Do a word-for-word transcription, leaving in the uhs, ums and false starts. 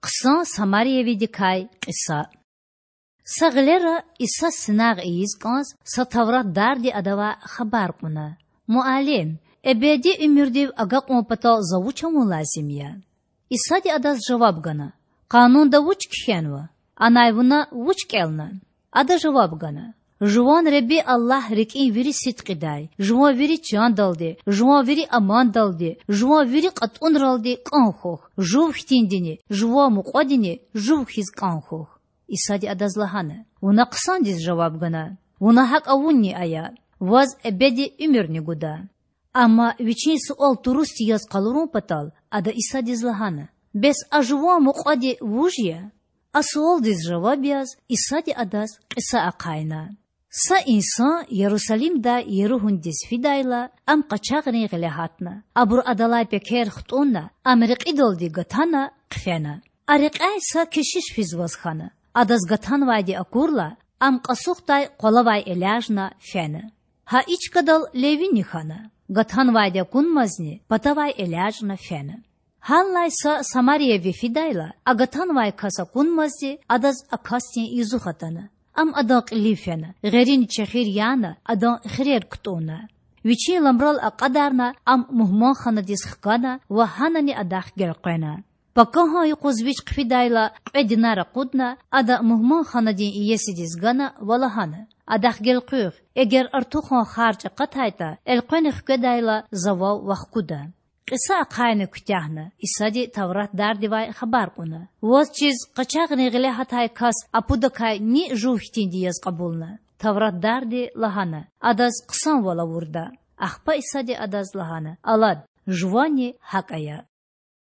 Хъсан самариявидикай кьиса. Са гъилера Иса синагъ ийиз кІанз са тавратдарди Адавай хабар кьуна: Муаллим, эбеди уьмуьрдив агакьун патал За вуч авун лазим я? Исади адаз жаваб гана: Къанунда вуч кхьенва? Анай Вуна вуч кІелна? Ада жаваб гана: Жуван Худа Аллагь рикІин вири сидкьидай, жуван вири чандалди, жуван вири амандалди, жуван вири кьатІунралди кІан хьухь, жув хьтиндини, жуван мукьвадини жув хьиз кІан хьухь. Исади адаз лагьана: Вуна хъсандиз жаваб гана. Вуна гьакІ авунни ая. Ваз эбеди уьмуьрни гуда. Амма Вичин суал турусди яз къалурун патал, Ада Исадиз лагьана: Бес а жуван мукьвади вуж я? А суалдиз жаваб яз Исади адаз кьиса ахъайна: Са инсан Ярусалимдай Еригьундиз фидайла, ам къачагърин гъиле гьатна. Абуру адалай пекер хтІунна, ам рекьидалди гатана, хъфена. А рекьяй са кешиш физваз хьана. Адаз гатанвайди акурла, ам кьасухдай къвалавай элячІна фена. Гьа и чкадал левини хьана. Гатанвайди акунмазни, патавай элячІна фена. Гьаллай са самарияви фидайла, а гатанвай кас акунмазди, адаз а касдин юзух атана. Ам адан кьилив фена, гъерини чехир яна, адан хирер кутІунна. Вичин ламрал акьадарна, ам мугьманханадиз хкана ва гьанани адахъ гелкъвена. Пакагьан юкъуз вич хъфидайла, кьве динар акъудна, ада мугьманханадин иесидиз гана ва лагьана: Адахъ гелкъуьгъ. Эгер артухан харж акъатайтІа, элкъвена хкведайла, завал вахкуда. Кьиса ахъайна куьтягьна, Исади тавратдардивай хабар кьуна: Ваз чиз къачагърин гъиле гьатай кас а пудакай ни жув хьтинди яз кьабулна? Тавратдарди лагьана: Адаз хъсанвал авурда. Ахпа Исади адаз лагьана: Алад, жуванни гьакІ ая.